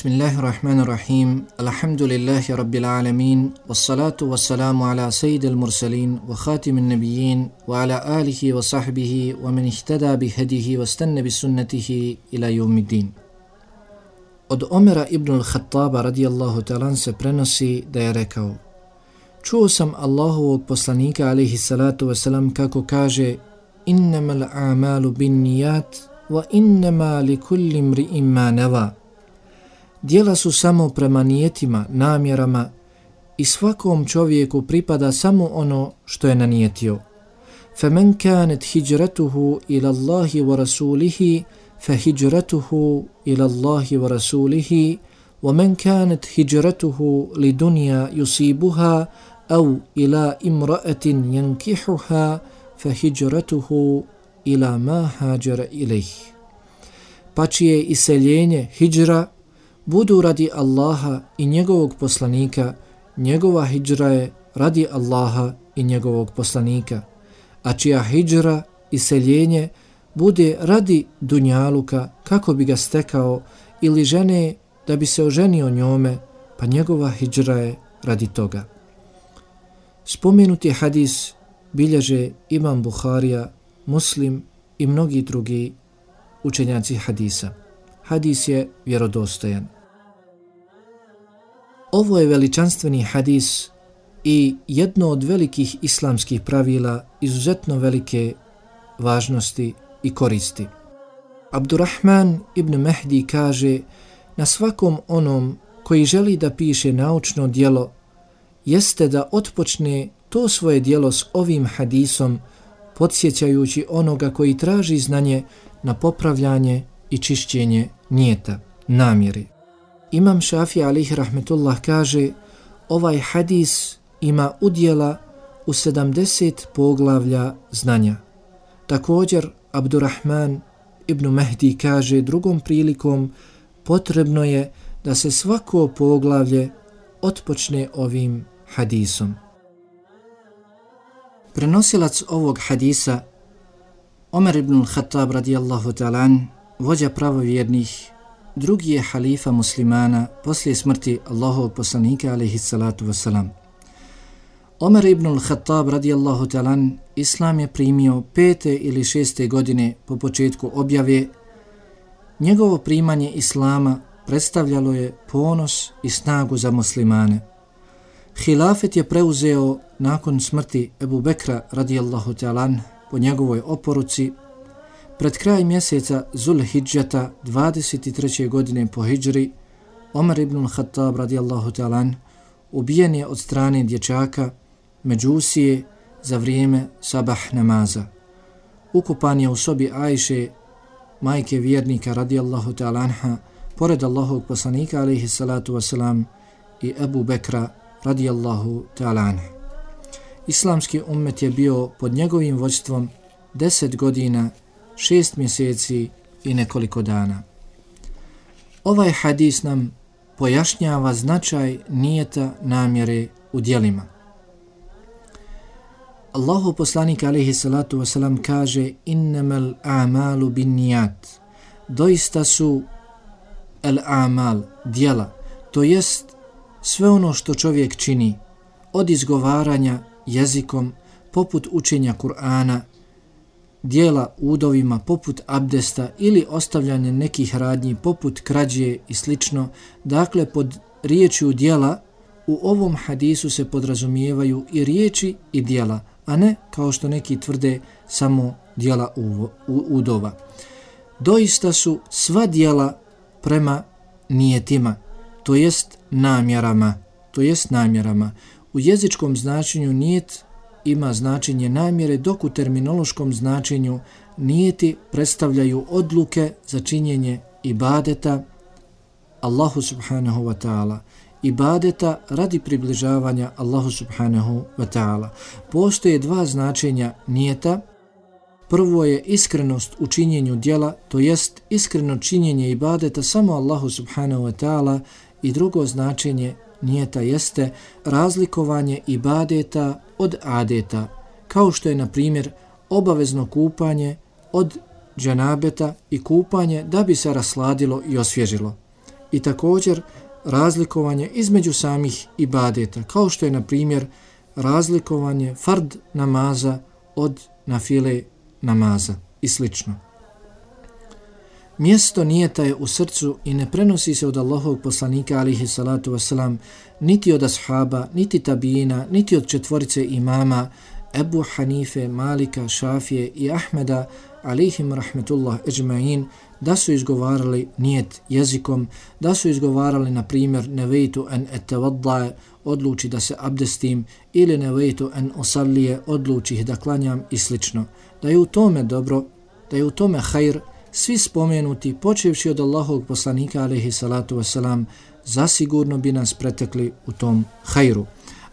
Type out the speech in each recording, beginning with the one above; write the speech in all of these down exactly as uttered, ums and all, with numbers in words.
Bismillahirrahmanirrahim. Alhamdulillahi rabbil alamin. Wassalatu wassalamu ala sayyidil mursalin wa khatimin nabiyyin wa ala alihi wa sahbihi wa man ihtada bi hadihi wa stanna bi sunnatihi ila yawmiddin. Od Omera ibn al-Khattaba radijallahu ta'ala se prenosi da je rekao: čuo sam Allahovog poslanika alejhi salatu vesselam kako kaže: innamal a'malu binniyat wa innama likulli imri'in ma nawa. Djela su samo prema nijetima, namjerama i svakom čovjeku pripada samo ono što je nanijetio. فَمَنْ كَانَتْ هِجْرَتُهُ إِلَى اللَّهِ وَرَسُولِهِ فَهِجْرَتُهُ إِلَى اللَّهِ وَرَسُولِهِ وَمَنْ كَانَتْ هِجْرَتُهُ لِدُنْيَا يُصِيبُهَا أَوْ إِلَى إِمْرَأَةٍ يَنْكِحُهَا فَهِجْرَتُهُ إِلَى مَا هَاجَرَ إِلَيْهِ. Pa čije iseljenje, hidžra, budu radi Allaha i njegovog poslanika, njegova hidžra je radi Allaha i njegovog poslanika, a čija hidžra, iseljenje, bude radi dunjaluka kako bi ga stekao ili žene da bi se oženio njome, pa njegova hidžra je radi toga. Spomenuti hadis bilježe Imam Buharija, Muslim i mnogi drugi učenjaci hadisa. Hadis je vjerodostojan. Ovo je veličanstveni hadis i jedno od velikih islamskih pravila izuzetno velike važnosti i koristi. Abdurrahman ibn Mehdi kaže: na svakom onom koji želi da piše naučno djelo jeste da otpočne to svoje djelo s ovim hadisom, podsjećajući onoga koji traži znanje na popravljanje i čišćenje nijeta, namjeri. Imam Šafija alejhi rahmetullah kaže: ovaj hadis ima udjela u sedamdeset poglavlja znanja. Također Abdurrahman ibn Mehdi kaže drugom prilikom: potrebno je da se svako poglavlje otpočne ovim hadisom. Prenosilac ovog hadisa, Omer ibn al-Khattab radijallahu ta'ala, vođa pravovjernih, drugi je halifa muslimana poslije smrti Allahovog poslanika alejhi salatu vesselam. Omer ibn al-Khattab radijallahu ta'ala islam je primio pete ili šeste godine po početku objave. Njegovo primanje islama predstavljalo je ponos i snagu za muslimane. Hilafet je preuzeo nakon smrti Ebu Bekra radijallahu ta'ala po njegovoj oporuci. Pred kraj mjeseca Zulhidžeta dvadeset treće godine po hidžri, Omer ibn al-Khattab radijallahu ta'ala ubijen je od strane dječaka Međusije za vrijeme sabah namaza. Ukupan je u sobi Ajše, majke vjernika radijallahu ta'ala anha, pored Allahovog poslanika alejhi salatu wasalam i Ebu Bekra radijallahu ta'ala anha. Islamski ummet je bio pod njegovim vođstvom deset godina, šest mjeseci i nekoliko dana. Ovaj hadis nam pojašnjava značaj nijeta, namjere u djelima. Allahu poslanik alejhi salatu wasalam kaže: innamal a'malu binniyat. Doista su el a'mal, djela, to jest sve ono što čovjek čini, od izgovaranja jezikom, poput učenja Kur'ana, djela udovima poput abdesta ili ostavljanje nekih radnji poput krađe i slično. Dakle, pod riječju djela u ovom hadisu se podrazumijevaju i riječi i djela, a ne kao što neki tvrde samo djela udova. Doista su sva djela prema nijetima, to jest namjerama, to jest namjerama. U jezičkom značenju nijet ima značenje namjere, dok u terminološkom značenju nijeti predstavljaju odluke za činjenje ibadeta Allahu subhanahu wa ta'ala, ibadeta radi približavanja Allahu subhanahu wa ta'ala. Postoje dva značenja nijeta. Prvo je iskrenost u činjenju djela, to jest iskreno činjenje ibadeta samo Allahu subhanahu wa ta'ala, i drugo značenje nijeta jeste razlikovanje ibadeta od adeta, kao što je na primjer obavezno kupanje od dženabeta i kupanje da bi se rasladilo i osvježilo. i također razlikovanje između samih ibadeta, kao što je na primjer razlikovanje fard namaza od nafile namaza i slično. Mjesto nijeta je u srcu i ne prenosi se od Allahovog poslanika alihi salatu wasalam, niti od ashaba, niti tabijina, niti od četvorice imama Ebu Hanife, Malika, Šafije i Ahmeda alihim rahmetullah ejma'in, da su izgovarali nijet jezikom, da su izgovarali na primjer nevejtu en etevaddaje, odluči da se abdestim, ili nevejtu en osallije, odluči da klanjam i slično. Da je u tome dobro, da je u tome hajr, svi spomenuti, počevši od Allahovog poslanika alejhi salatu wasalam, zasigurno bi nas pretekli u tom hajru.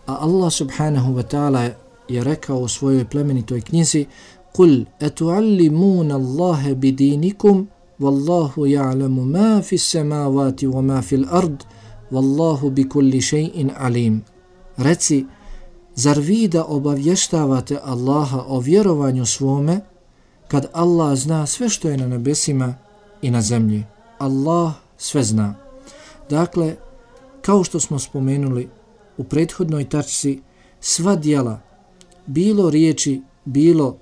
A Allah subhanahu wa ta'ala je rekao u svojoj plemenitoj knjizi: "Kul etuallimuna Allahe bidinikum, wallahu ja'lamu ma fis samawati wa ma fil ard, wallahu bi kulli shay'in alim." Reci, zar vi da obavještavate Allaha o vjerovanju svome, kad Allah zna sve što je na nebesima i na zemlji? Allah sve zna. Dakle, kao što smo spomenuli u prethodnoj tačci, sva djela, bilo riječi, bilo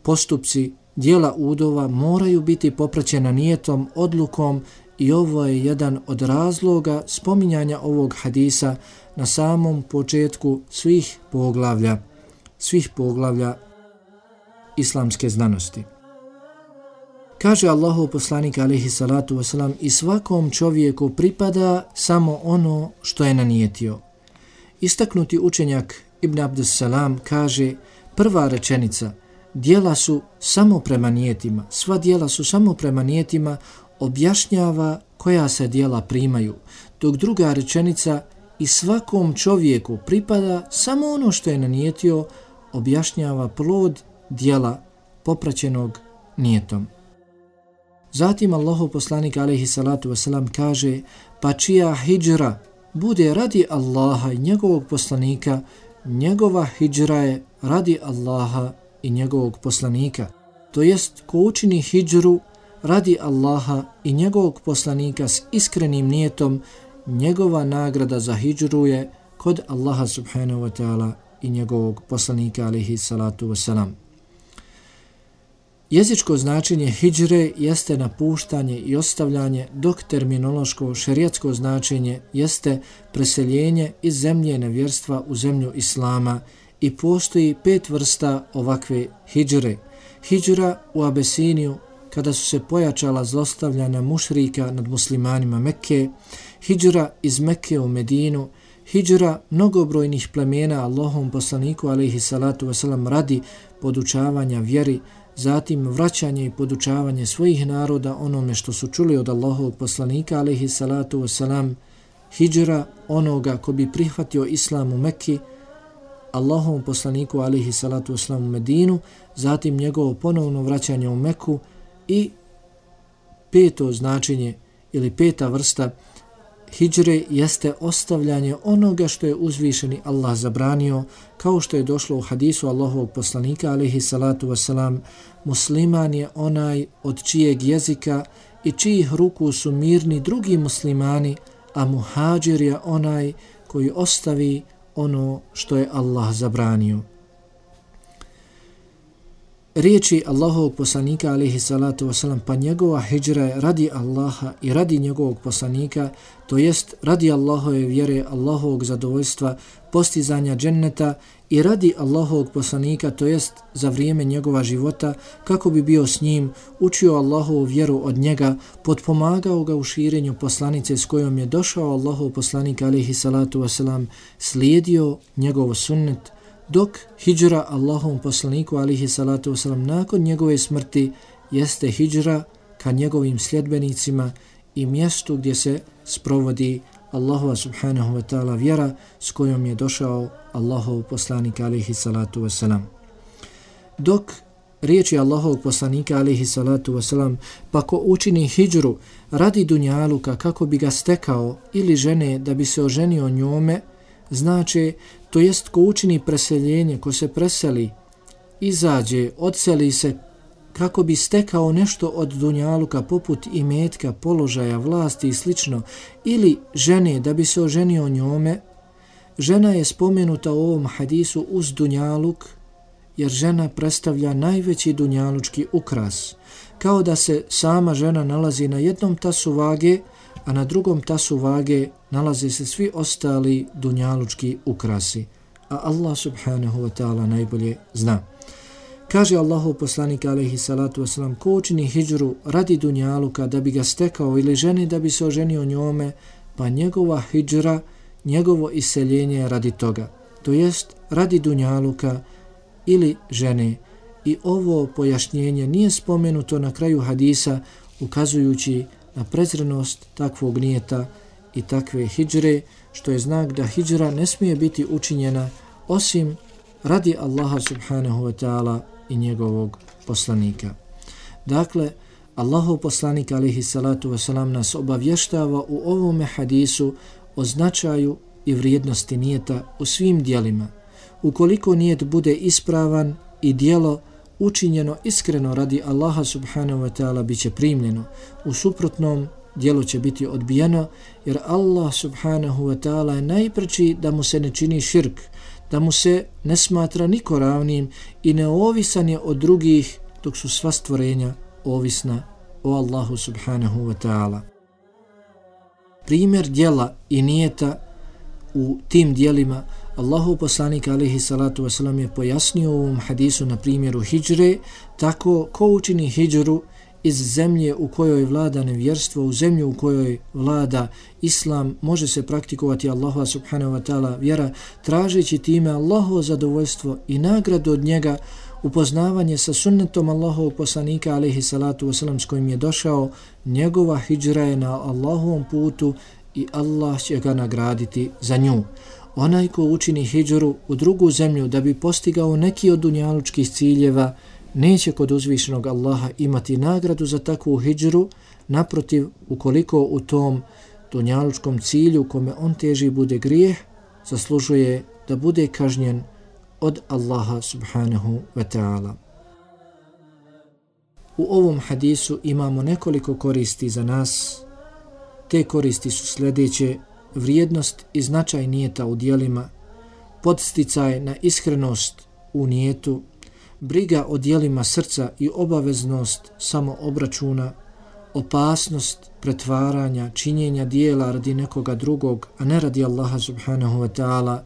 postupci, djela udova moraju biti popraćena nijetom, odlukom, i ovo je jedan od razloga spominjanja ovog hadisa na samom početku svih poglavlja, svih poglavlja islamske znanosti. Kaže Allahov poslanik alejhi salatu wasalam: "I svakom čovjeku pripada samo ono što je nanijetio." Istaknuti učenjak Ibn Abdussalam kaže: prva rečenica, djela su samo prema nijetima, sva djela su samo prema nijetima, objašnjava koja se djela primaju, dok druga rečenica, i svakom čovjeku pripada samo ono što je nanijetio, objašnjava plod djela popraćenog nijetom. Zatim Allahov poslanik alejhi salatu wasalam kaže: "Pa čija hidžra bude radi Allaha i njegovog poslanika, njegova hidžra je radi Allaha i njegovog poslanika." To jest, ko učini hidžru radi Allaha i njegovog poslanika s iskrenim nijetom, njegova nagrada za hidžru je kod Allaha subhanahu wa ta'ala i njegovog poslanika alejhi salatu wasalam. Jezičko značenje hidžre jeste napuštanje i ostavljanje, dok terminološko šerijatsko značenje jeste preseljenje iz zemlje nevjerstva u zemlju islama, i postoji pet vrsta ovakve hidžre. Hidžra u Abesiniju, kada su se pojačala zlostavljanja mušrika nad muslimanima Mekke, hidžra iz Mekke u Medinu, hidžra mnogobrojnih plemena Allahom poslaniku alejhi salatu wasalam radi podučavanja vjeri, zatim vraćanje i podučavanje svojih naroda onome što su čuli od Allahovog poslanika alejhi salatu wasalam, hidžra onoga ko bi prihvatio islam u Mekki, Allahovom poslaniku alejhi salatu wasalam u Medinu, zatim njegovo ponovno vraćanje u Meku, i peto značenje ili peta vrsta hidžre jeste ostavljanje onoga što je uzvišeni Allah zabranio, kao što je došlo u hadisu Allahovog poslanika alejhi salatu wasalam: "Musliman je onaj od čijeg jezika i čijih ruku su mirni drugi muslimani, a muhađir je onaj koji ostavi ono što je Allah zabranio." Riječi Allahovog poslanika alejhi salatu wasalam: "Pa njegova hidžra je radi Allaha i radi njegovog poslanika", to jest radi Allahove vjere, Allahovog zadovoljstva, postizanja dženneta, i radi Allahovog poslanika, to jest za vrijeme njegova života, kako bi bio s njim, učio Allahovu vjeru od njega, potpomagao ga u širenju poslanice s kojom je došao Allahov poslanik alejhi salatu wasalam, slijedio njegov sunnet, dok hidžra Allahovom poslaniku alejhi salatu wasalam nakon njegove smrti jeste hidžra ka njegovim sljedbenicima i mjestu gdje se sprovodi Allahova subhanahu wa ta'ala vjera s kojom je došao Allahov poslanik alejhi salatu wasalam. Dok riječi Allahovog poslanika alejhi salatu wasalam: "Pa ko učini hidžru radi dunjaluka kako bi ga stekao, ili žene da bi se oženio njome", znači, to jest ko učini preseljenje, ko se preseli, izađe, odseli se kako bi stekao nešto od dunjaluka poput imetka, položaja, vlasti i slično, ili žene da bi se oženio njome, žena je spomenuta u ovom hadisu uz dunjaluk, jer žena predstavlja najveći dunjalučki ukras, kao da se sama žena nalazi na jednom tasu vage, a na drugom tasu vage nalaze se svi ostali dunjalučki ukrasi, a Allah subhanahu wa ta'ala najbolje zna. Kaže Allahov poslanik alejhi salatu vesselam, ko učini hidžru radi dunjaluka da bi ga stekao ili ženi da bi se oženio njome, pa njegova hidžra, njegovo iseljenje radi toga, to jest radi dunjaluka ili žene. I ovo pojašnjenje nije spomenuto na kraju hadisa, ukazujući na prezrenost takvog nijeta i takve hidžre, što je znak da hidžra ne smije biti učinjena osim radi Allaha subhanahu wa ta'ala i njegovog poslanika. Dakle, Allahov poslanik alejhi salatu vesselam nas obavještava u ovome hadisu o značaju i vrijednosti nijeta u svim djelima. Ukoliko nijet bude ispravan i djelo učinjeno iskreno radi Allaha subhanahu wa ta'ala bit će primljeno. U suprotnom, djelo će biti odbijeno, jer Allah subhanahu wa ta'ala je najpreči da mu se ne čini širk, da mu se ne smatra niko ravnim i neovisan je od drugih, dok su sva stvorenja ovisna o Allahu subhanahu wa ta'ala. Primjer djela i nijeta u tim djelima Allahov poslanik alejhi salatu vesselam je pojasnio u ovom hadisu na primjeru hidžre, tako ko učini hidžru iz zemlje u kojoj vlada nevjerstvo, u zemlju u kojoj vlada islam, može se praktikovati Allahova subhanahu wa ta'ala vjera, tražeći time Allahovo zadovoljstvo i nagradu od njega, upoznavanje sa sunnetom Allahovog poslanika alejhi salatu vesselam s kojim je došao, njegova hidžra je na Allahovom putu i Allah će ga nagraditi za nju. Onaj ko učini hidžru u drugu zemlju da bi postigao neki od dunjalučkih ciljeva, neće kod uzvišenog Allaha imati nagradu za takvu hidžru. Naprotiv, ukoliko u tom dunjalučkom cilju kome on teži bude grijeh, zaslužuje da bude kažnjen od Allaha subhanahu wa ta'ala. U ovom hadisu imamo nekoliko koristi za nas. Te koristi su sljedeće: vrijednost i značaj nijeta u djelima, podsticaj na iskrenost u nijetu, briga o djelima srca i obaveznost samoobračuna, opasnost pretvaranja, činjenja dijela radi nekoga drugog, a ne radi Allaha subhanahu wa ta'ala,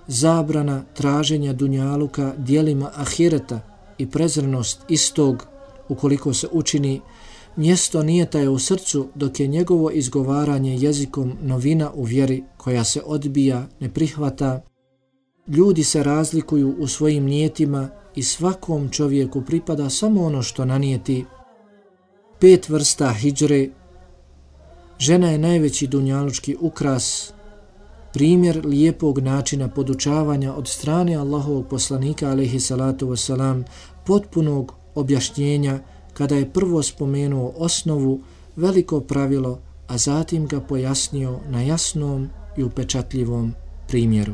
zabrana traženja dunjaluka djelima ahireta i prezrenost istog ukoliko se učini. Mjesto nijeta je u srcu, dok je njegovo izgovaranje jezikom novina u vjeri koja se odbija, ne prihvata. Ljudi se razlikuju u svojim nijetima i svakom čovjeku pripada samo ono što nanijeti. Pet vrsta hidžre. Žena je najveći dunjalučki ukras, primjer lijepog načina podučavanja od strane Allahovog poslanika alejhi salatu vesselam, potpunog objašnjenja kada je prvo spomenuo osnovu, veliko pravilo, a zatim ga pojasnio na jasnom i upečatljivom primjeru.